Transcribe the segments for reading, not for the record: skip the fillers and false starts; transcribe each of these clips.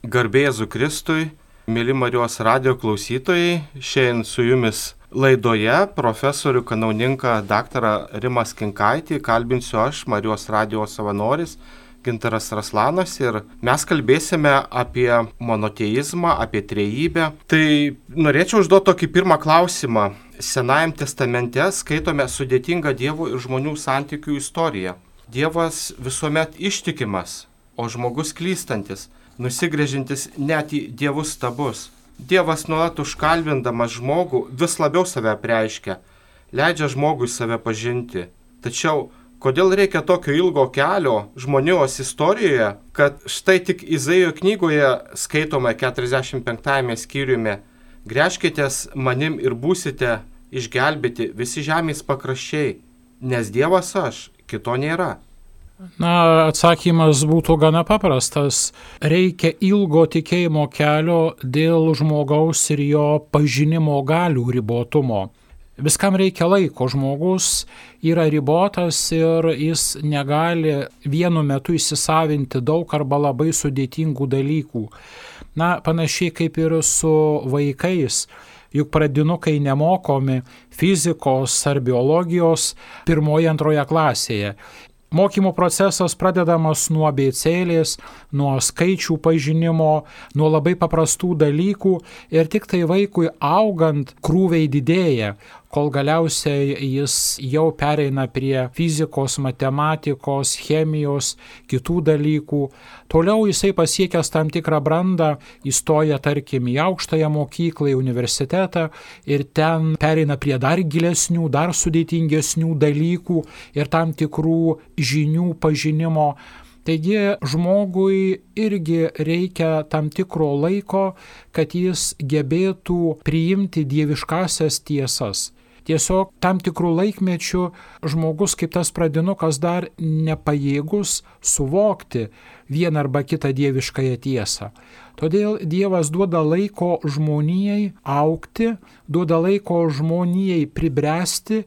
Garbė Jėzui Kristui, mėly Marijos radijo klausytojai, šiandien su jumis laidoje profesorių kanauninką daktarą Rimą Skinkaitį kalbinsiu aš, Marijos radijo savanoris Gintaras Raslanas, ir mes kalbėsime apie monoteizmą, apie trejybę. Tai norėčiau užduoti tokį pirmą klausimą. Senajam testamente skaitome sudėtingą Dievo ir žmonių santykių istoriją. Dievas visuomet ištikimas, o žmogus klystantis, nusigręžintis net į dievus stabus. Dievas nuolat užkalbindamas žmogų vis labiau save apreiškia, leidžia žmogui save pažinti. Tačiau kodėl reikia tokio ilgo kelio žmonijos istorijoje, kad štai tik Izaijo knygoje skaitome 45 skyriumi: gręžkitės manim ir būsite išgelbėti visi žemės pakraščiai, nes Dievas aš, kito nėra. Atsakymas būtų gana paprastas. Reikia ilgo tikėjimo kelio dėl žmogaus ir jo pažinimo galių ribotumo. Viskam reikia laiko. Žmogus yra ribotas ir jis negali vienu metu įsisavinti daug arba labai sudėtingų dalykų. Panašiai kaip ir su vaikais. Juk pradinukai nemokomi fizikos ar biologijos 1-2 klasėje. Mokymo procesas pradedamas nuo abėcėlės, nuo skaičių pažinimo, nuo labai paprastų dalykų ir tik tai vaikui augant krūviai didėja, kol galiausiai jis jau pereina prie fizikos, matematikos, chemijos, kitų dalykų. Toliau jisai pasiekęs tam tikrą brandą įstoja tarkim į aukštąją mokyklą, į universitetą ir ten pereina prie dar gilesnių, dar sudėtingesnių dalykų ir tam tikrų žinių pažinimo. Taigi žmogui irgi reikia tam tikro laiko, kad jis gebėtų priimti dieviškasias tiesas. Tiesiog tam tikrų laikmečių žmogus kaip tas pradinukas dar nepajėgus suvokti vieną arba kitą dieviškąją tiesą. Todėl Dievas duoda laiko žmonijai augti, duoda laiko žmonijai pribręsti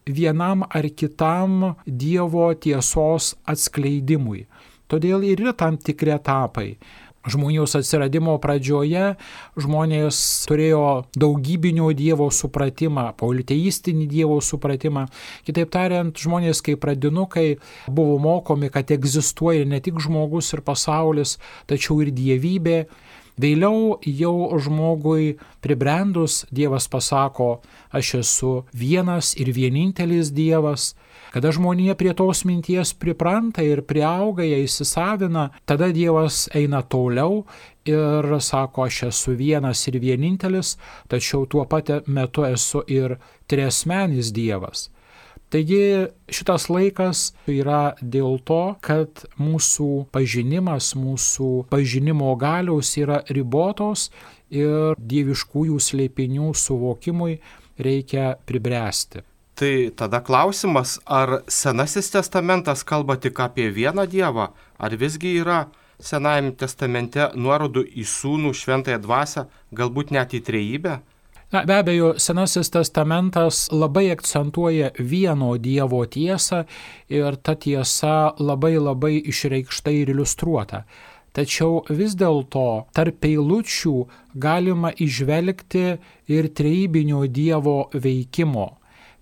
vienam ar kitam Dievo tiesos atskleidimui. Todėl ir yra tam tikri etapai. Žmonijos atsiradimo pradžioje žmonės turėjo daugybinio Dievo supratimą, politeistinį Dievo supratimą. Kitaip tariant, žmonės kaip pradinukai buvo mokomi, kad egzistuoja ne tik žmogus ir pasaulis, tačiau ir dievybė. Vėliau jau žmogui pribrendus Dievas pasako: aš esu vienas ir vienintelis Dievas. Kada žmonija prie tos minties pripranta ir priauga, ją įsisavina, tada Dievas eina toliau ir sako: aš esu vienas ir vienintelis, tačiau tuo pat metu esu ir triasmenis Dievas. Taigi šitas laikas yra dėl to, kad mūsų pažinimas, mūsų pažinimo galios yra ribotos ir dieviškųjų slėpinių suvokimui reikia pribręsti. Tai tada klausimas, ar Senasis testamentas kalba tik apie vieną Dievą, ar visgi yra Senajame testamente nuorodų į Sūnų, Šventąją Dvasią, galbūt net į trejybę? Be abejo, Senasis testamentas labai akcentuoja vieno Dievo tiesą ir ta tiesa labai išreikšta ir iliustruota. Tačiau vis dėlto tarp eilučių galima įžvelgti ir trejybinio Dievo veikimo.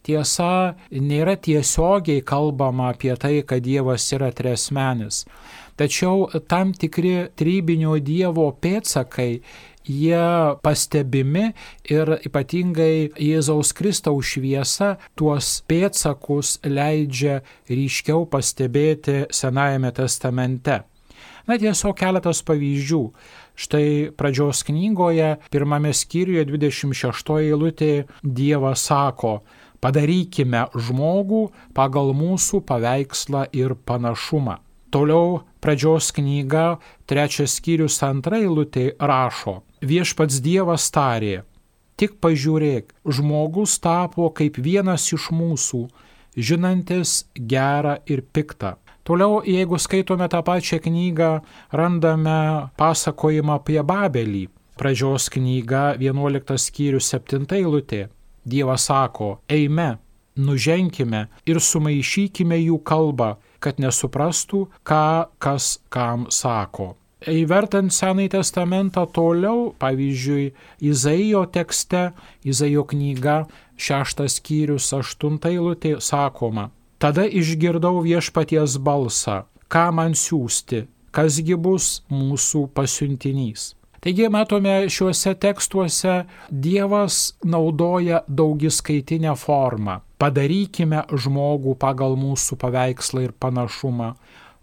Tiesa, nėra tiesiogiai kalbama apie tai, kad Dievas yra triasmenis. Tačiau tam tikri trejybinio Dievo pėdsakai, jie pastebimi ir ypatingai Jėzaus Kristaus šviesa tuos pėdsakus leidžia ryškiau pastebėti Senajame testamente. Tiesiog keletas pavyzdžių. Štai pradžios knygoje, 1 skyriuje, 26 eilutėje Dievas sako: padarykime žmogų pagal mūsų paveikslą ir panašumą. Toliau pradžios knyga, 3 skyrius, 2 eilutė rašo: viešpats Dievas tarė: tik pažiūrėk, žmogus tapo kaip vienas iš mūsų, žinantis gerą ir piktą. Toliau, jeigu skaitome tą pačią knygą, randame pasakojimą apie Babelį. Pradžios knyga, 11 skyrius, 7 eilutė. Dievas sako: eime, nuženkime ir sumaišykime jų kalbą, kad nesuprastų, ką kas kam sako. Įvertant Senąjį testamentą toliau, pavyzdžiui, Izaijo tekste, Izaijo knyga, 6 skyrius, 8 eilutė sakoma: Tada išgirdau viešpaties balsą, ką man siųsti, kasgi bus mūsų pasiuntinys. Taigi matome šiuose tekstuose Dievas naudoja daugiskaitinę formą. Padarykime žmogų pagal mūsų paveikslą ir panašumą.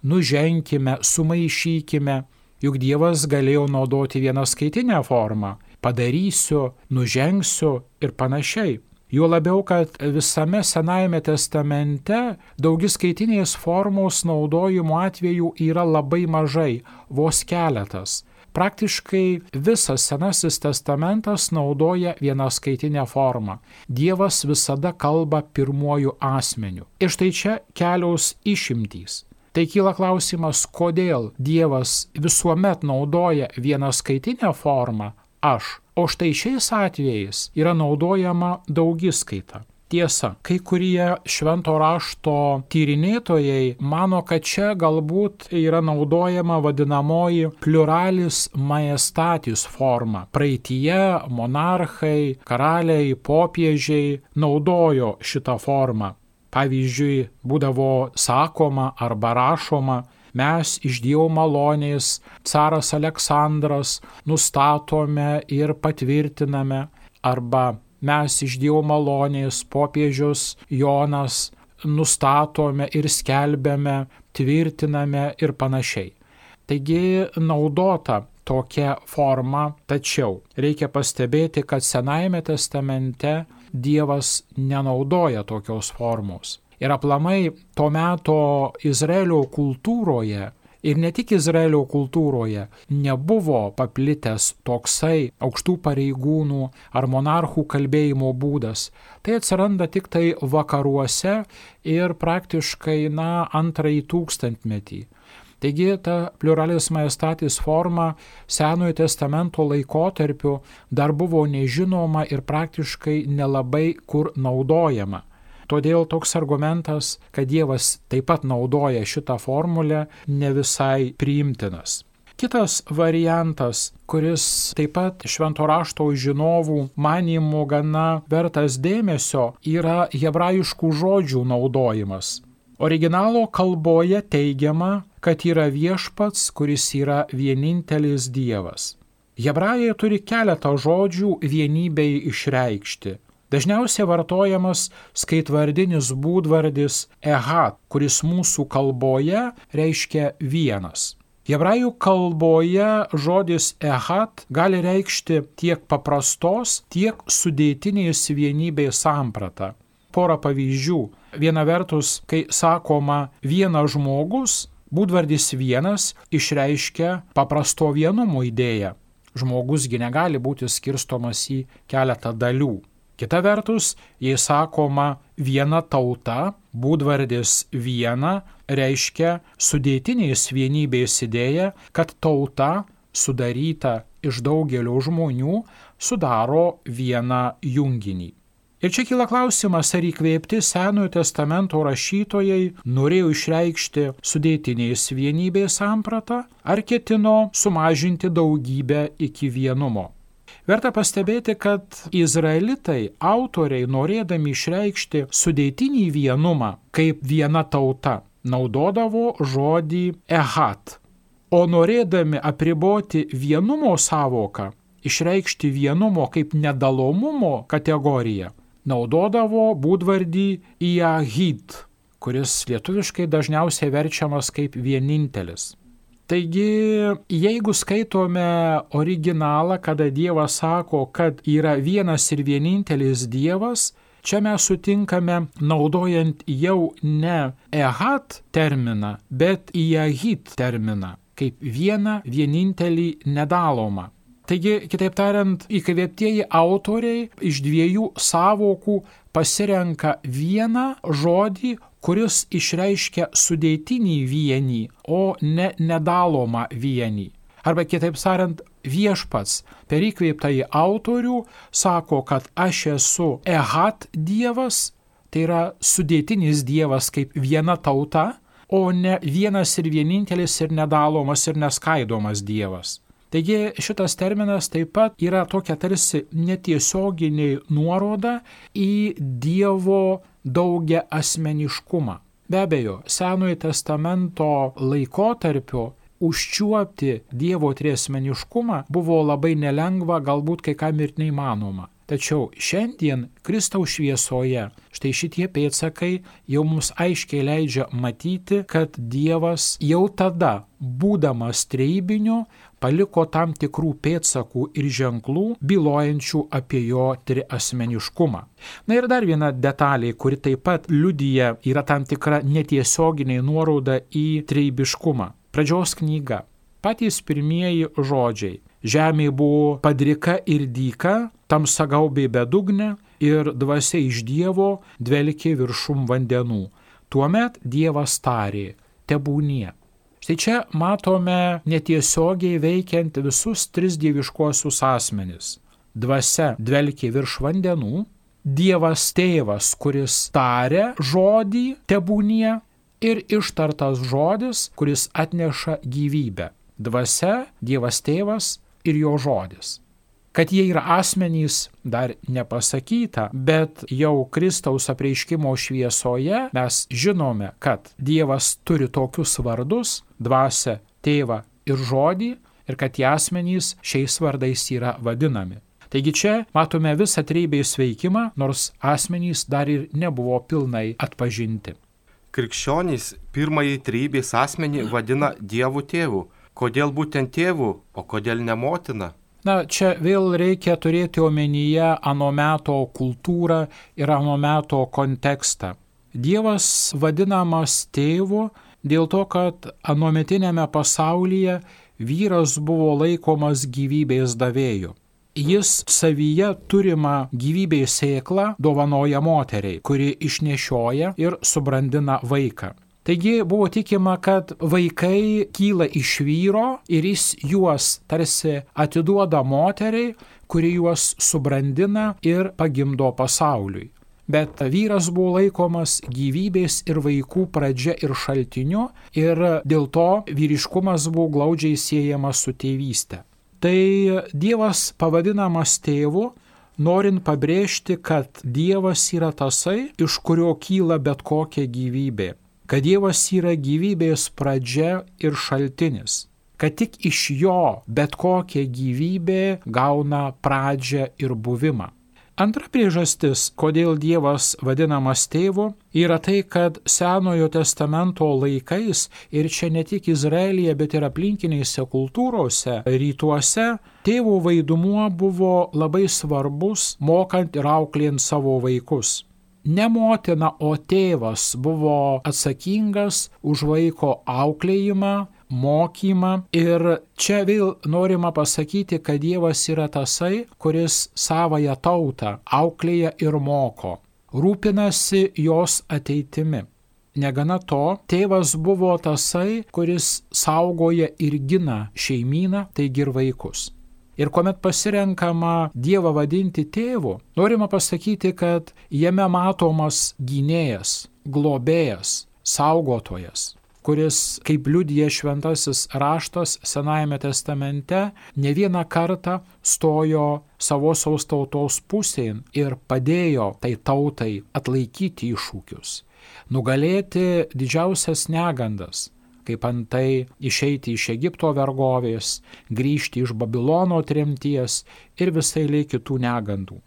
Nuženkime, sumaišykime. Juk Dievas galėjo naudoti vienaskaitinę formą. Padarysiu, nužengsiu ir panašiai. Juo labiau, kad visame Senajame testamente daugiskaitinės formos naudojimo atvejų yra labai mažai, vos keletas. Praktiškai visas Senasis testamentas naudoja vienaskaitinę formą. Dievas visada kalba pirmuoju asmeniu. Ir štai čia kelios išimtys. Tai kyla klausimas, kodėl Dievas visuomet naudoja vienaskaitinę formą aš, o štai šiais atvejais yra naudojama daugiskaita. Tiesa, kai kurie švento rašto tyrinėtojai mano, kad čia galbūt yra naudojama vadinamoji pluralis majestatis forma. Praeityje monarchai, karaliai, popiežiai naudojo šitą formą. Pavyzdžiui, būdavo sakoma arba rašoma: mes iš Dievo malonės, caras Aleksandras, nustatome ir patvirtiname, arba mes iš Dievo malonės, popiežius Jonas, nustatome ir skelbiame, tvirtiname ir panašiai. Taigi naudota tokia forma, tačiau reikia pastebėti, kad Senajame testamente Dievas nenaudoja tokios formos. Ir aplamai to meto Izraelio kultūroje, ir ne tik Izraelio kultūroje, nebuvo paplitęs toksai aukštų pareigūnų ar monarchų kalbėjimo būdas. Tai atsiranda tik tai vakaruose ir praktiškai antrąjį tūkstantmetį. Taigi ta pluralis majestatis forma Senojo testamento laikotarpiu dar buvo nežinoma ir praktiškai nelabai kur naudojama. Todėl toks argumentas, kad Dievas taip pat naudoja šitą formulę, ne visai priimtinas. Kitas variantas, kuris taip pat švento rašto žinovų manymų gana vertas dėmesio, yra hebrajiškų žodžių naudojimas. Originalo kalboje teigiama, kad yra viešpats, kuris yra vienintelis Dievas. Hebrajai turi keletą žodžių vienybei išreikšti. Dažniausiai vartojamas skaitvardinis būdvardis ehad, kuris mūsų kalboje reiškia vienas. Hebrajų kalboje žodis ehad gali reikšti tiek paprastos, tiek sudėtinės vienybės sampratą. Porą pavyzdžių. Viena vertus, kai sakoma vienas žmogus, būdvardis vienas išreiškia paprasto vienumo idėją. Žmogusgi negali būti skirstomas į keletą dalių. Kita vertus, jei sakoma viena tauta, būdvardis viena reiškia sudėtinės vienybės idėją, kad tauta sudaryta iš daugelio žmonių sudaro vieną junginį. Ir čia kyla klausimas, ar įkvėpti Senojo testamento rašytojai norėjo išreikšti sudėtinės vienybės sampratą, ar ketino sumažinti daugybę iki vienumo. Verta pastebėti, kad izraelitai, autoriai, norėdami išreikšti sudėtinį vienumą kaip viena tauta, naudodavo žodį ehad, o norėdami apriboti vienumo savoką, išreikšti vienumo kaip nedalomumo kategoriją, naudodavo būdvardį iahid, kuris lietuviškai dažniausiai verčiamas kaip vienintelis. Taigi, jeigu skaitome originalą, kada Dievas sako, kad yra vienas ir vienintelis Dievas, čia mes sutinkame naudojant jau ne ehad terminą, bet iahid terminą, kaip vieną vienintelį nedalomą. Taigi, kitaip tariant, įkvėptieji autoriai iš dviejų sąvokų pasirenka vieną žodį, kuris išreiškia sudėtinį vienį, o ne nedalomą vienį. Arba kitaip tariant, viešpats per įkvėptąjį autorių sako, kad aš esu ehad Dievas, tai yra sudėtinis Dievas kaip viena tauta, o ne vienas ir vienintelis ir nedalomas ir neskaidomas Dievas. Taigi šitas terminas taip pat yra tokia tarsi netiesioginė nuoroda į Dievo daugia asmeniškumą. Be abejo, Senojo testamento laikotarpio užčiuopti Dievo triasmeniškumą buvo labai nelengva, galbūt kai kam ir neįmanoma. Tačiau šiandien Kristaus šviesoje štai šitie pėdsakai jau mums aiškiai leidžia matyti, kad Dievas jau tada, būdamas trejybiniu, paliko tam tikrų pėdsakų ir ženklų, bylojančių apie jo triasmeniškumą. Na ir dar viena detalė, kuri taip pat liudija, yra tam tikra netiesioginė nuoroda į trejybiškumą. Pradžios knyga. Patys pirmieji žodžiai. Žemė buvo padrika ir dyka, tamsa gaubė bedugnę ir dvasia iš Dievo dvelkė viršum vandenų. Tuomet Dievas tarė, tebūnie. Štai čia matome netiesiogiai veikiant visus tris dieviškuosius asmenis. Dvasia dvelkė virš vandenų, Dievas tėvas, kuris tarė žodį tebūnie ir ištartas žodis, kuris atneša gyvybę. Dvasia, Dievas tėvas ir jo žodis. Kad jie yra asmenys, dar nepasakyta, bet jau Kristaus apreiškimo šviesoje mes žinome, kad Dievas turi tokius vardus – dvasią, tėvą ir žodį, ir kad tie asmenys šiais vardais yra vadinami. Taigi čia matome visą trejybės veikimą, nors asmenys dar ir nebuvo pilnai atpažinti. Krikščionys pirmąjį trejybės asmenį vadina Dievu tėvu. Kodėl būtent tėvu, o kodėl ne motina? Na, čia vėl reikia turėti omenyje ano meto kultūrą ir ano meto kontekstą. Dievas vadinamas tėvu dėl to, kad anometinėme pasaulyje vyras buvo laikomas gyvybės davėju. Jis savyje turimą gyvybės sėklą dovanoja moteriai, kuri išnešioja ir subrandina vaiką. Taigi buvo tikima, kad vaikai kyla iš vyro ir jis juos tarsi atiduoda moteriai, kuri juos subrandina ir pagimdo pasauliui. Bet vyras buvo laikomas gyvybės ir vaikų pradžia ir šaltiniu ir dėl to vyriškumas buvo glaudžiai siejamas su tėvyste. Tai Dievas pavadinamas tėvu, norint pabrėžti, kad Dievas yra tasai, iš kurio kyla bet kokia gyvybė. Kad Dievas yra gyvybės pradžia ir šaltinis, kad tik iš jo bet kokia gyvybė gauna pradžią ir buvimą. Antra priežastis, kodėl Dievas vadinamas tėvu, yra tai, kad Senojo testamento laikais ir čia ne tik Izraelyje, bet ir aplinkinėse kultūrose, rytuose, tėvo vaidmuo buvo labai svarbus, mokant ir auklėjant savo vaikus. Ne motina, o tėvas buvo atsakingas už vaiko auklėjimą, mokymą ir čia vėl norima pasakyti, kad Dievas yra tasai, kuris savąją tautą auklėja ir moko, rūpinasi jos ateitimi. Negana to, tėvas buvo tasai, kuris saugoja ir gina šeimyną, taigi ir vaikus. Ir kuomet pasirenkama Dievą vadinti tėvu, norima pasakyti, kad jame matomas gynėjas, globėjas, saugotojas, kuris, kaip liudija šventasis raštas Senajame testamente, ne vieną kartą stojo savosios tautos pusėn ir padėjo tai tautai atlaikyti iššūkius, nugalėti didžiausias negandas, kaip antai išeiti iš Egipto vergovės, grįžti iš Babilono tremties ir visai lė kitų negandų.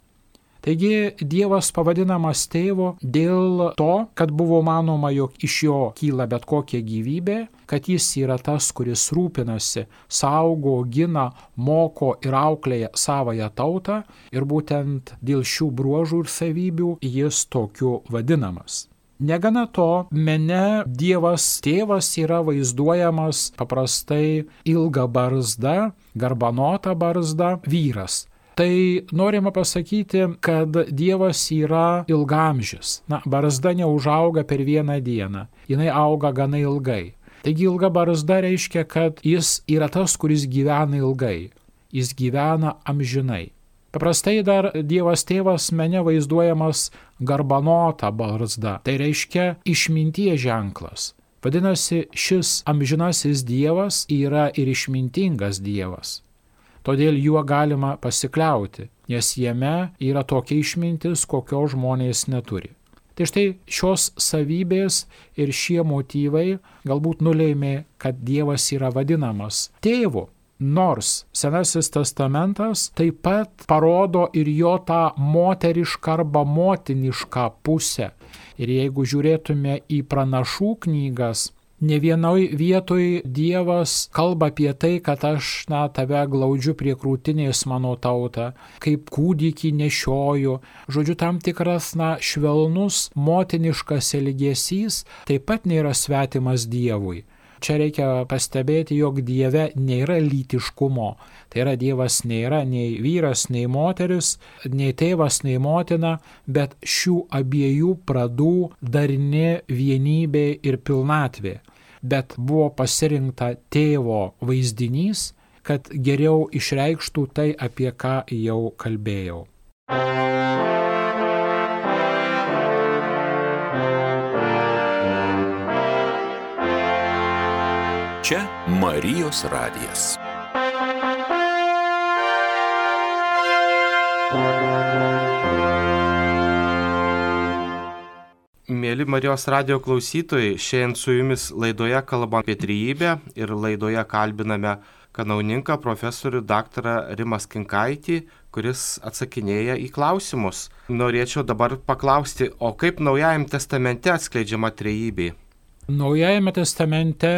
Taigi Dievas pavadinamas tėvu dėl to, kad buvo manoma, jog iš jo kyla bet kokia gyvybė, kad jis yra tas, kuris rūpinasi, saugo, gina, moko ir auklėja savąją tautą ir būtent dėl šių bruožų ir savybių jis tokiu vadinamas. Negana to, mene Dievas tėvas yra vaizduojamas paprastai ilga barzda, garbanota barzda, vyras. Tai norima pasakyti, kad Dievas yra ilgamžis. Barzda neužauga per vieną dieną, jinai auga gana ilgai. Taigi ilga barzda reiškia, kad jis yra tas, kuris gyvena ilgai, jis gyvena amžinai. Paprastai dar Dievas tėvas mene vaizduojamas garbanota barzda, tai reiškia išminties ženklas, Vadinasi, šis amžinasis Dievas yra ir išmintingas Dievas. Todėl juo galima pasikliauti, nes jame yra tokia išmintis, kokio žmonės neturi. Tai štai šios savybės ir šie motyvai galbūt nulėmė, kad Dievas yra vadinamas tėvu. Nors Senasis testamentas taip pat parodo ir jo tą moterišką arba motinišką pusę. Ir jeigu žiūrėtume į pranašų knygas, ne vienoj vietoj Dievas kalba apie tai, kad aš tave glaudžiu prie krūtinės mano tautą, kaip kūdikį nešioju. Žodžiu, tam tikras švelnus motiniškas elgesys taip pat nėra svetimas Dievui. Čia reikia pastebėti, jog Dieve nėra lytiškumo. Tai yra, Dievas nėra nei vyras, nei moteris, nei tėvas, nei motina, bet šių abiejų pradų darni vienybė ir pilnatvė. Bet buvo pasirinkta tėvo vaizdinys, kad geriau išreikštų tai, apie ką jau kalbėjau. Čia Marijos radijas. Mėly Marijos radijo klausytojai, šiandien su jumis laidoje kalbame apie trejybę ir laidoje kalbiname kanauninką profesorių daktarą Rimą Skinkaitį, kuris atsakinėja į klausimus. Norėčiau dabar paklausti, o kaip Naujajame testamente atskleidžiama trejybė? Naujajame testamente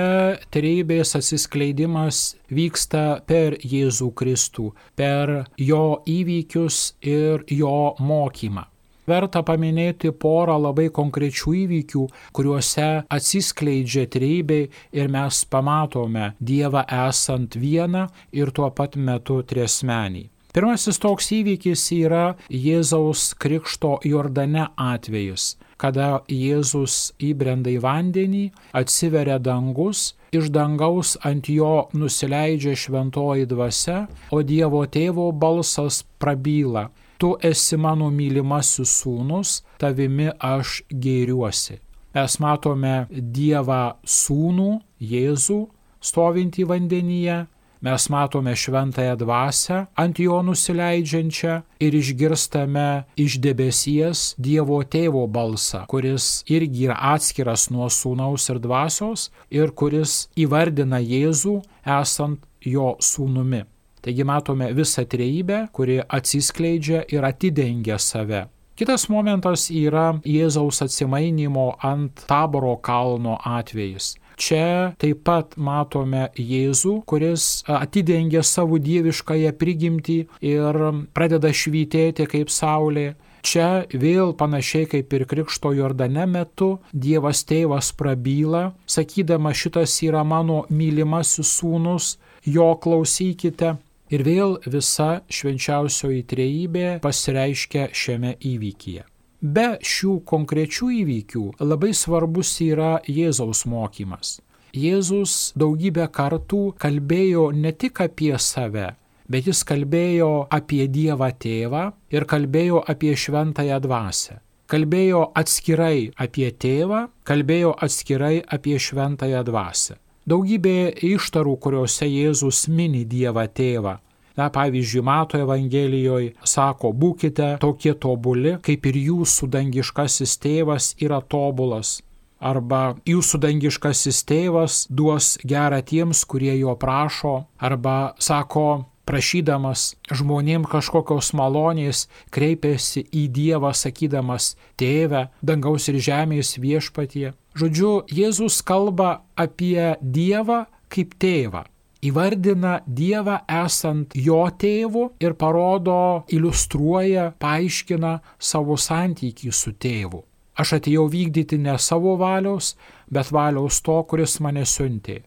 trejybės atsiskleidimas vyksta per Jėzų Kristų, per jo įvykius ir jo mokymą. Verta paminėti porą labai konkrečių įvykių, kuriuose atsiskleidžia trejybė ir mes pamatome Dievą esant vieną ir tuo pat metu triasmenį. Pirmasis toks įvykis yra Jėzaus Krikšto Jordane atvejis, kada Jėzus įbrenda į vandenį, atsiveria dangus, iš dangaus ant jo nusileidžia šventoji dvasia, o Dievo tėvo balsas prabyla: Tu esi mano mylimasis sūnus, tavimi aš gėriuosi. Mes matome Dievą sūnų, Jėzų, stovintį vandenyje. Mes matome šventąją dvasią ant jo nusileidžiančią ir išgirstame iš debesies Dievo tėvo balsą, kuris irgi yra atskiras nuo sūnaus ir dvasios ir kuris įvardina Jėzų esant jo sūnumi. Taigi matome visą trejybę, kuri atsiskleidžia ir atidengia save. Kitas momentas yra Jėzaus atsimainymo ant Taboro kalno atvejis. Čia taip pat matome Jėzų, kuris atidengia savo dieviškąją prigimtį ir pradeda švytėti kaip saulė. Čia vėl panašiai kaip ir Krikšto Jordane metu Dievas tėvas prabyla, sakydama: šitas yra mano mylimasis sūnus, jo klausykite. Ir vėl visa švenčiausioji trejybė pasireiškia šiame įvykyje. Be šių konkrečių įvykių labai svarbus yra Jėzaus mokymas. Jėzus daugybę kartų kalbėjo ne tik apie save, bet jis kalbėjo apie Dievą tėvą ir kalbėjo apie šventąją dvasią. Kalbėjo atskirai apie tėvą, kalbėjo atskirai apie šventąją dvasią. Daugybė ištarų, kuriuose Jėzus mini Dievą tėvą. Pavyzdžiui, Mato Evangelijoje sako: būkite tokie tobuli, kaip ir jūsų dangiškasis tėvas yra tobulas. Arba jūsų dangiškasis tėvas duos gerą tiems, kurie jo prašo. Arba sako, prašydamas žmonėm kažkokios malonės, kreipėsi į Dievą sakydamas: Tėve, dangaus ir žemės viešpatie. Žodžiu, Jėzus kalba apie Dievą kaip tėvą. Įvardina Dievą esant jo tėvu ir parodo, iliustruoja, paaiškina savo santykį su tėvu. Aš atėjau vykdyti ne savo valios, bet valios to, kuris mane siuntė.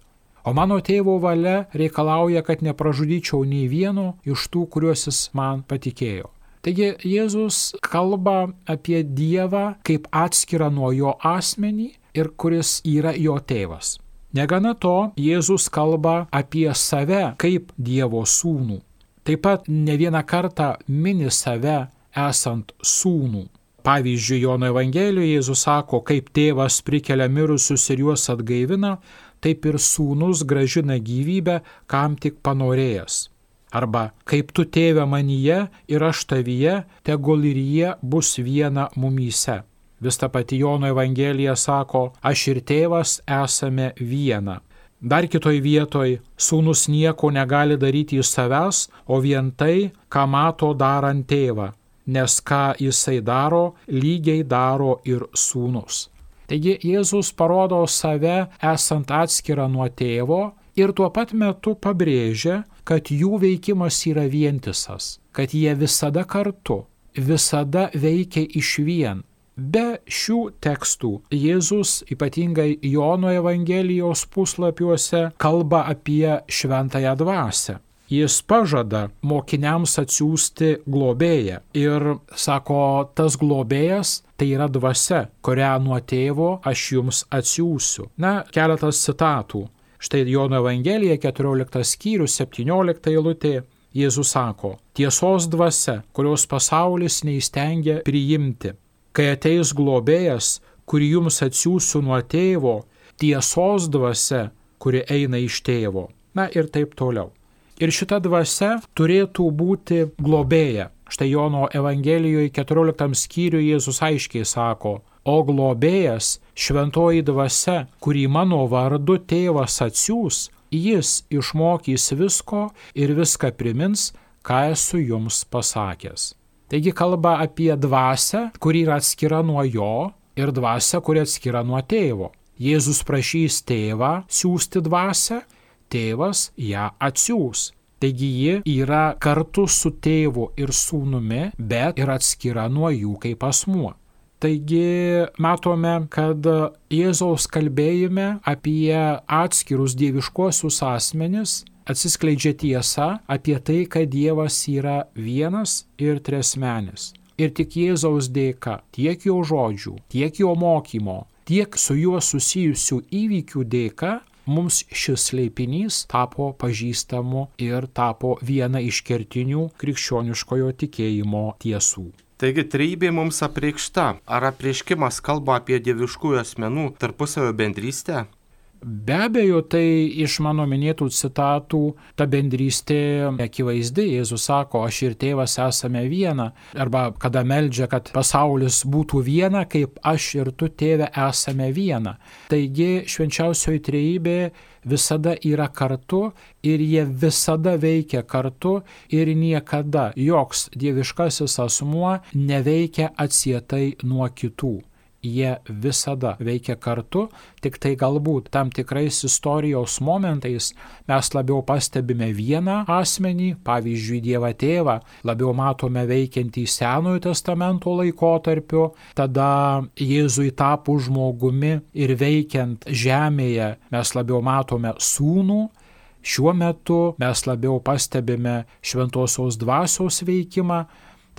O mano tėvo valia reikalauja, kad nepražudyčiau nei vieno iš tų, kuriuos jis man patikėjo. Taigi Jėzus kalba apie Dievą kaip atskirą nuo jo asmenį ir kuris yra jo tėvas. Negana to, Jėzus kalba apie save kaip Dievo sūnų. Taip pat ne vieną kartą mini save esant sūnų. Pavyzdžiui, Jono Evangelijoje Jėzus sako, kaip tėvas prikelia mirusius ir juos atgaivina, taip ir sūnus grąžina gyvybę, kam tik panorėjęs. Arba, kaip tu tėve manyje ir aš tavyje, tegul ir jie bus viena mumyse. Vis ta pati Jono Evangelija sako, aš ir tėvas esame viena. Dar kitoj vietoj, sūnus nieko negali daryti iš savęs, o vien tai, ką mato darant tėvą, nes ką jisai daro, lygiai daro ir sūnus. Taigi Jėzus parodo save esant atskirą nuo tėvo ir tuo pat metu pabrėžia, kad jų veikimas yra vientisas, kad jie visada kartu, visada veikia išvien. Be šių tekstų Jėzus, ypatingai Jono Evangelijos puslapiuose, kalba apie šventąją dvasią. Jis pažada mokiniams atsiųsti globėją ir sako, tas globėjas tai yra dvasia, kurią nuo tėvo aš jums atsiųsiu. Keletas citatų. Štai Jono Evangelija 14 skyrius 17 eilutė. Jėzus sako, tiesos dvasia, kurios pasaulis neįstengia priimti. Kai ateis globėjas, kurį jums atsiųsiu nuo tėvo, tiesos dvasia, kuri eina iš tėvo. Ir taip toliau. Ir šita dvasia turėtų būti globėja. Štai Jono Evangelijoje 14 skyriuje Jėzus aiškiai sako, o globėjas, šventoji dvasia, kurį mano vardu tėvas atsiųs, jis išmokys visko ir viską primins, ką esu jums pasakęs. Taigi kalba apie dvasią, kuri yra atskira nuo jo, ir dvasią, kuri atskira nuo tėvo. Jėzus prašys tėvą siųsti dvasią, tėvas ją atsiųs. Taigi ji yra kartu su tėvu ir sūnumi, bet ir atskira nuo jų kaip asmuo. Taigi matome, kad Jėzaus kalbėjime apie atskirus dieviškuosius asmenis atsiskleidžia tiesa apie tai, kad Dievas yra vienas ir triasmenis. Ir tik Jėzaus dėka, tiek jo žodžių, tiek jo mokymo, tiek su juo susijusių įvykių dėka, mums šis slėpinys tapo pažįstamu ir tapo viena iš kertinių krikščioniškojo tikėjimo tiesų. Taigi trejybė mums apreikšta. Ar apreiškimas kalba apie dieviškųjų asmenų tarpusavio bendrystę? Be abejo, tai iš mano minėtų citatų ta bendrystė akivaizdi. Jėzus sako, aš ir tėvas esame viena. Arba kada meldžia, kad pasaulis būtų viena, kaip aš ir tu, tėve, esame viena. Taigi švenčiausioji trejybė visada yra kartu ir jie visada veikia kartu ir niekada joks dieviškasis asmuo neveikia atsietai nuo kitų. Jie visada veikia kartu, tik tai galbūt tam tikrais istorijos momentais mes labiau pastebime vieną asmenį, pavyzdžiui Dievą Tėvą, labiau matome veikiantį Senojo testamento laikotarpiu, tada Jėzui tapus žmogumi ir veikiant žemėje mes labiau matome Sūnų. Šiuo metu mes labiau pastebime Šventosios Dvasios veikimą,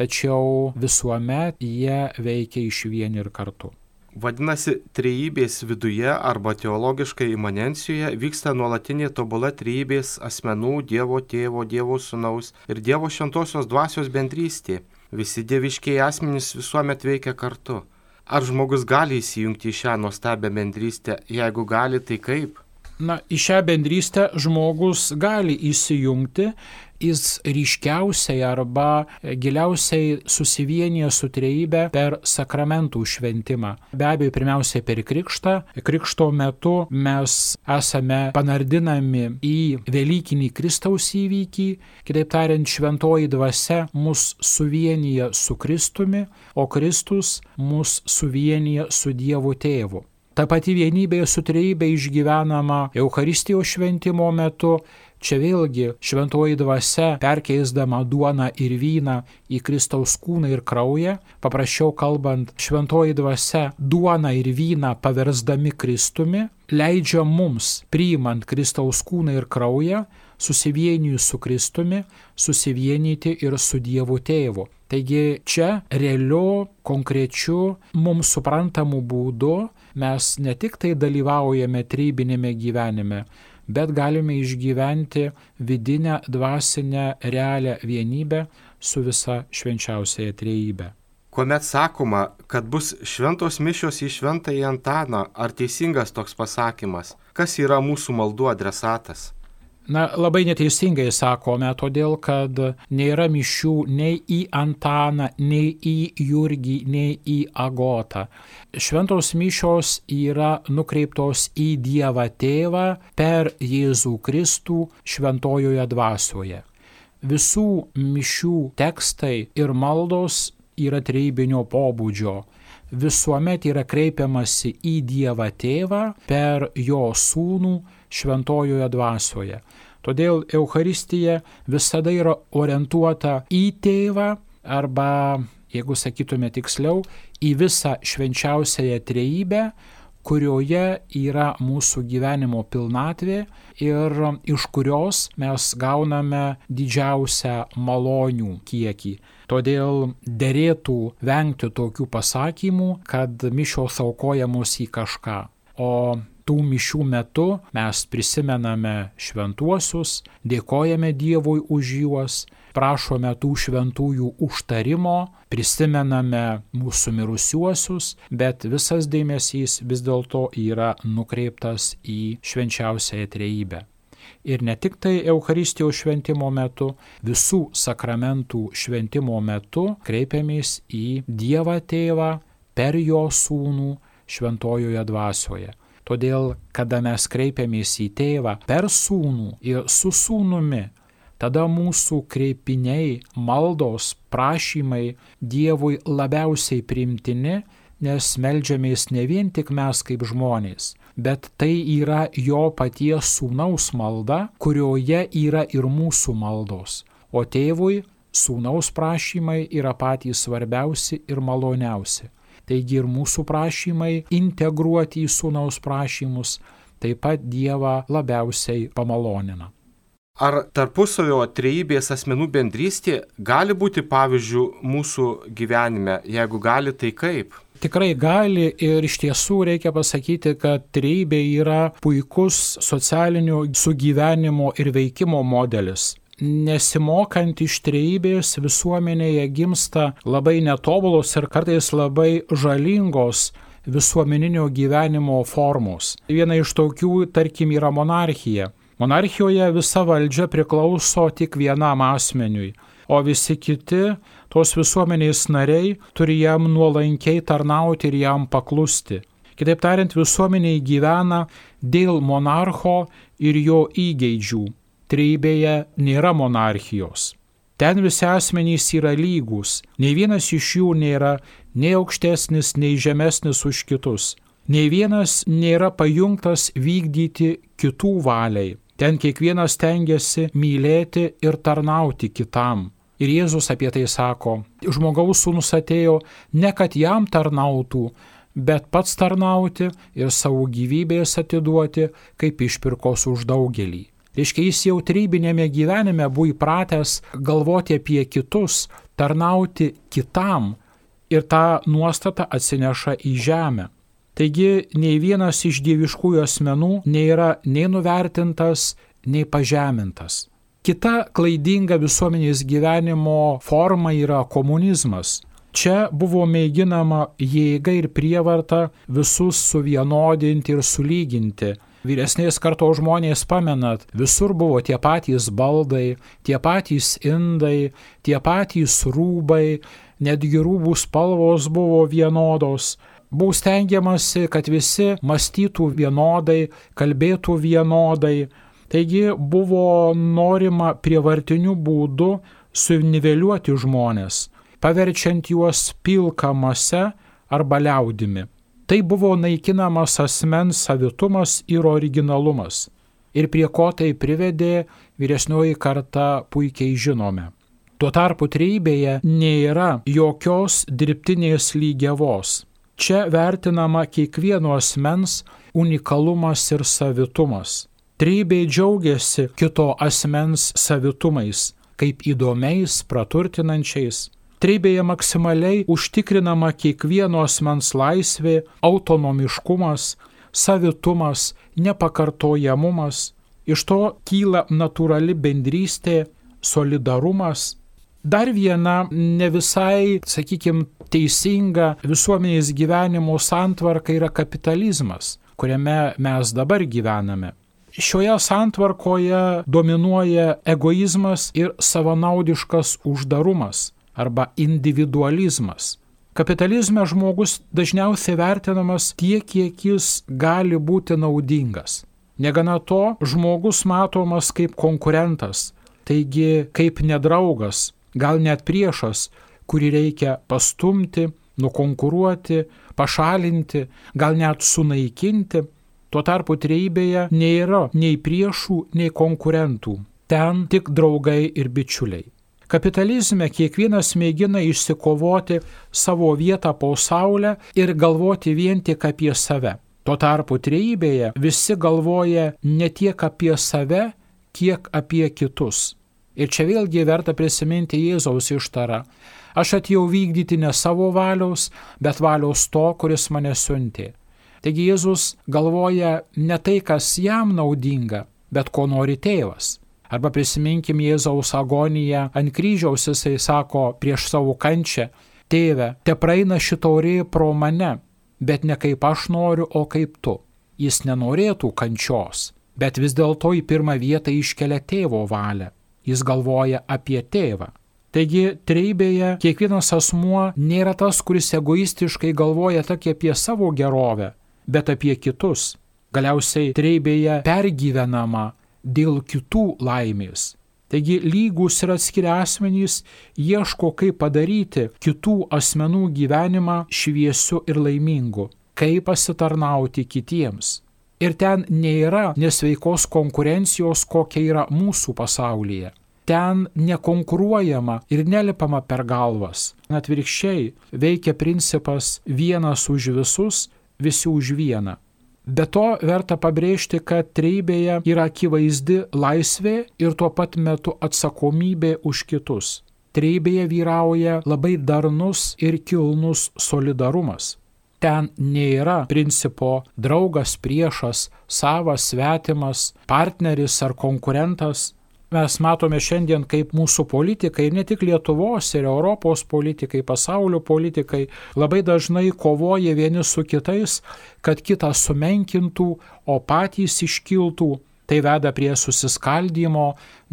tačiau visuomet jie veikia išvien ir kartu. Vadinasi, trejybės viduje arba teologiškai imanencijoje vyksta nuolatinė tobula trejybės asmenų Dievo Tėvo, Dievo Sūnaus ir Dievo Šventosios Dvasios bendrystė. Visi dieviškieji asmenys visuomet veikia kartu. Ar žmogus gali įsijungti į šią nuostabią bendrystę? Jeigu gali, tai kaip? Į šią bendrystę žmogus gali įsijungti, jis ryškiausiai arba giliausiai susivienyje su trejybe per sakramentų šventimą. Be abejo, pirmiausiai per krikštą. Krikšto metu mes esame panardinami į Velykinį Kristaus įvykį, kitaip tariant, šventoji dvasia mus suvienyje su Kristumi, o Kristus mus suvienyje su Dievu Tėvu. Ta pati vienybė su trejybe išgyvenama Eucharistijos šventimo metu. Čia vėlgi šventoji dvasia, perkeisdama duoną ir vyną į Kristaus kūną ir kraują, paprasčiau kalbant, šventoji dvasia duoną ir vyną paversdami Kristumi, leidžia mums, priimant Kristaus kūną ir kraują, susivienijus su Kristumi, susivienyti ir su Dievu Tėvu. Taigi čia realiu, konkrečiu, mums suprantamu būdu mes ne tik tai dalyvaujame trejybinėme gyvenime, bet galime išgyventi vidinę, dvasinę, realią vienybę su visa švenčiausiaja trejybe. kuomet sakoma, kad bus šventos mišios į Šventąjį Antaną, ar teisingas toks pasakymas? Kas yra mūsų maldų adresatas? Na, labai neteisingai sakome, todėl kad nėra mišių nei į Antaną, nei į Jurgį, nei į Agotą. Šventos mišios yra nukreiptos į Dievą Tėvą per Jėzų Kristų šventojoje dvasioje. Visų mišių tekstai ir maldos yra trejybinio pobūdžio. Visuomet yra kreipiamasi į Dievą Tėvą per jo Sūnų šventojoje dvasioje. Todėl Eucharistija visada yra orientuota į Tėvą arba, jeigu sakytume tiksliau, į visą švenčiausiąją trejybę, kurioje yra mūsų gyvenimo pilnatvė ir iš kurios mes gauname didžiausią malonių kiekį. Todėl derėtų vengti tokių pasakymų, kad mišios aukojamos į kažką. O tų mišių metu mes prisimename šventuosius, dėkojame Dievui už juos, prašome tų šventųjų užtarimo, prisimename mūsų mirusiuosius, bet visas dėmesys vis dėlto yra nukreiptas į švenčiausiąją trejybę. Ir ne tik tai Eucharistijos šventimo metu, visų sakramentų šventimo metu kreipiamės į Dievą Tėvą per jo Sūnų šventojoje dvasioje. Todėl, kada mes kreipiamės į Tėvą per Sūnų ir su Sūnumi, tada mūsų kreipiniai, maldos, prašymai Dievui labiausiai priimtini, nes meldžiamės ne vien tik mes kaip žmonės, bet tai yra jo paties Sūnaus malda, kurioje yra ir mūsų maldos. O Tėvui Sūnaus prašymai yra patys svarbiausi ir maloniausi. Taigi ir mūsų prašymai integruoti į Sūnaus prašymus taip pat Dievą labiausiai pamalonina. Ar tarpusavio trejybės asmenų bendrystė gali būti pavyzdžių mūsų gyvenime? Jeigu gali, tai kaip? Tikrai gali ir iš tiesų reikia pasakyti, kad trejybė yra puikus socialinio sugyvenimo ir veikimo modelis. Nesimokant iš trejybės visuomenėje gimsta labai netobulos ir kartais labai žalingos visuomeninio gyvenimo formos. Viena iš tokių, tarkim, yra monarchija. Monarchijoje visa valdžia priklauso tik vienam asmeniui, o visi kiti, tos visuomenės nariai, turi jam nuolankiai tarnauti ir jam paklusti. Kitaip tariant, visuomeniai gyvena dėl monarcho ir jo įgeidžių. Trejybėje nėra monarchijos. Ten visi asmenys yra lygūs, nei vienas iš jų nėra nei aukštesnis, nei žemesnis už kitus. Nei vienas nėra pajungtas vykdyti kitų valiai. Ten kiekvienas stengiasi mylėti ir tarnauti kitam. Ir Jėzus apie tai sako, žmogaus sūnus atėjo ne kad jam tarnautų, bet pats tarnauti ir savo gyvybės atiduoti kaip išpirkos už daugelį. Reiškia, jis jau trejybinėme gyvenime buvo įpratęs galvoti apie kitus, tarnauti kitam ir tą nuostatą atsineša į žemę. Taigi, nei vienas iš dieviškųjų asmenų nėra nei nuvertintas, nei pažemintas. Kita klaidinga visuomenės gyvenimo forma yra komunizmas. Čia buvo mėginama jėga ir prievarta visus suvienodinti ir sulyginti. Vyresnės kartos žmonės pamenat, visur buvo tie patys baldai, tie patys indai, tie patys rūbai, netgi rūbų spalvos buvo vienodos. Buvo stengiamasi, kad visi mąstytų vienodai, kalbėtų vienodai. Taigi buvo norima prievartiniu būdu suniveliuoti žmonės, paverčiant juos pilka mase arba liaudimi. Tai buvo naikinamas asmens savitumas ir originalumas. Ir prie ko tai privedė, vyresnioji karta puikiai žinome. Tuo tarpu trejybėje nėra jokios dirbtinės lygiavos. Čia vertinama kiekvieno asmens unikalumas ir savitumas. Trejybė džiaugiasi kito asmens savitumais, kaip įdomiais, praturtinančiais. Trejybėje maksimaliai užtikrinama kiekvieno asmens laisvė, autonomiškumas, savitumas, nepakartojamumas. Iš to kyla natūrali bendrystė, solidarumas. Dar viena ne visai, sakykime, teisinga visuomenės gyvenimo santvarka yra kapitalizmas, kuriame mes dabar gyvename. Šioje santvarkoje dominuoja egoizmas ir savanaudiškas uždarumas arba individualizmas. Kapitalizme žmogus dažniausiai vertinamas tiek, kiek jis gali būti naudingas. Negana to, žmogus matomas kaip konkurentas, taigi kaip nedraugas, gal net priešas, kurį reikia pastumti, nukonkuruoti, pašalinti, gal net sunaikinti. Tuo tarpu trejybėje nėra nei priešų, nei konkurentų. Ten tik draugai ir bičiuliai. Kapitalizme kiekvienas mėgina išsikovoti savo vietą po saulę ir galvoti vien tik apie save. Tuo tarpu trejybėje visi galvoja ne tiek apie save, kiek apie kitus. Ir čia vėlgi verta prisiminti Jėzaus ištarą. Aš atėjau vykdyti ne savo valios, bet valios to, kuris mane siuntė. Taigi Jėzus galvoja ne tai, kas jam naudinga, bet ko nori tėvas. Arba prisiminkim Jėzaus agoniją ant kryžiaus, jisai sako prieš savo kančią: Tėve, te praeina ši taurė pro mane, bet ne kaip aš noriu, o kaip tu. Jis nenorėtų kančios, bet vis dėlto į pirmą vietą iškelia tėvo valią. Jis galvoja apie tėvą. Taigi trejybėje kiekvienas asmuo nėra tas, kuris egoistiškai galvoja tik apie savo gerovę, bet apie kitus. Galiausiai trejybėje pergyvenama dėl kitų laimės. Taigi lygūs ir atskiri asmenys ieško, kaip padaryti kitų asmenų gyvenimą šviesiu ir laimingu, kaip pasitarnauti kitiems. Ir ten nėra nesveikos konkurencijos, kokia yra mūsų pasaulyje. Ten nekonkuruojama ir nelipama per galvas. Atvirkščiai veikia principas vienas už visus, visi už vieną. Be to verta pabrėžti, kad trejybėje yra akivaizdi laisvė ir tuo pat metu atsakomybė už kitus. Trejybėje vyrauja labai darnus ir kilnus solidarumas. Ten nėra principo draugas, priešas, savas, svetimas, partneris ar konkurentas. Mes matome šiandien, kaip mūsų politikai, ne tik Lietuvos ir Europos politikai, pasaulio politikai, labai dažnai kovoja vieni su kitais, kad kitą sumenkintų, o patys iškiltų. Tai veda prie susiskaldymo,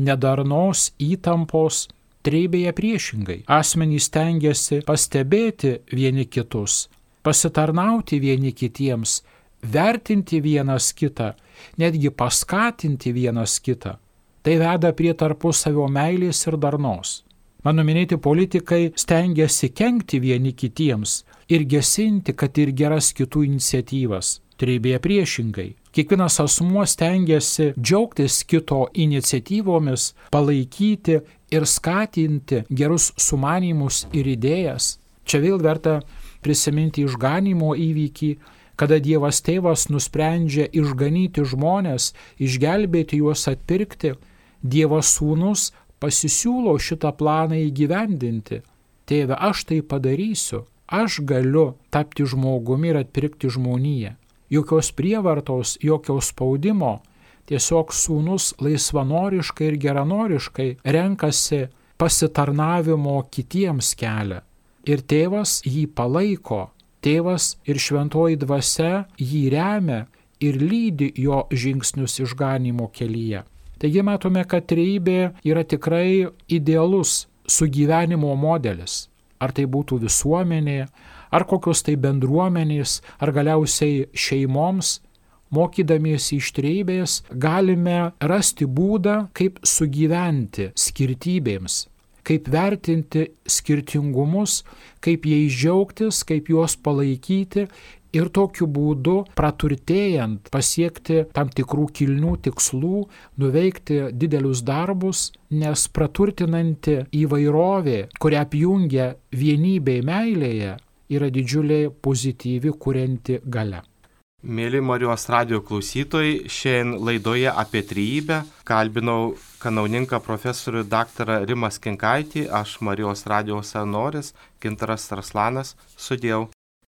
nedarnos, įtampos. Trejybėje priešingai. Asmenys stengiasi pastebėti vieni kitus, pasitarnauti vieni kitiems, vertinti vienas kitą, netgi paskatinti vienas kitą. Tai veda prie tarpusavio meilės ir darnos. Mano minėti politikai stengiasi kenkti vieni kitiems ir gesinti, kad ir geras kitų iniciatyvas. Trejybėje priešingai. Kiekvienas asmuo stengiasi džiaugtis kito iniciatyvomis, palaikyti ir skatinti gerus sumanymus ir idėjas. Čia vėl verta prisiminti išganymo įvykį, kada Dievas Tėvas nusprendžia išganyti žmones, išgelbėti juos, atpirkti. Dievas Sūnus pasisiūlo šitą planą įgyvendinti. Tėve, aš tai padarysiu. Aš galiu tapti žmogumi ir atpirkti žmoniją. Jokios prievartos, jokio spaudimo. Tiesiog Sūnus laisvanoriškai ir geranoriškai renkasi pasitarnavimo kitiems kelią. Ir Tėvas jį palaiko. Tėvas ir šventoji dvasia jį remia ir lydi jo žingsnius išganymo kelyje. Taigi matome, kad trejybė yra tikrai idealus sugyvenimo modelis. Ar tai būtų visuomenė, ar kokios tai bendruomenės, ar galiausiai šeimoms. Mokydamiesi iš trejybės galime rasti būdą, kaip sugyventi skirtybėms, kaip vertinti skirtingumus, kaip jais džiaugtis, kaip juos palaikyti ir tokiu būdu praturtėjant pasiekti tam tikrų kilnių tikslų, nuveikti didelius darbus, nes praturtinanti įvairovė, kurią apjungia vienybė meilėje, yra didžiulė pozityvi kurianti galia. Mėly Marijos radijo klausytojai, šiandien laidoje apie trejybę kalbinau kanauninką profesorių daktarą Rimą Skinkaitį, aš Marijos radijo savanoris Gintaras Tarslanas, sudiev.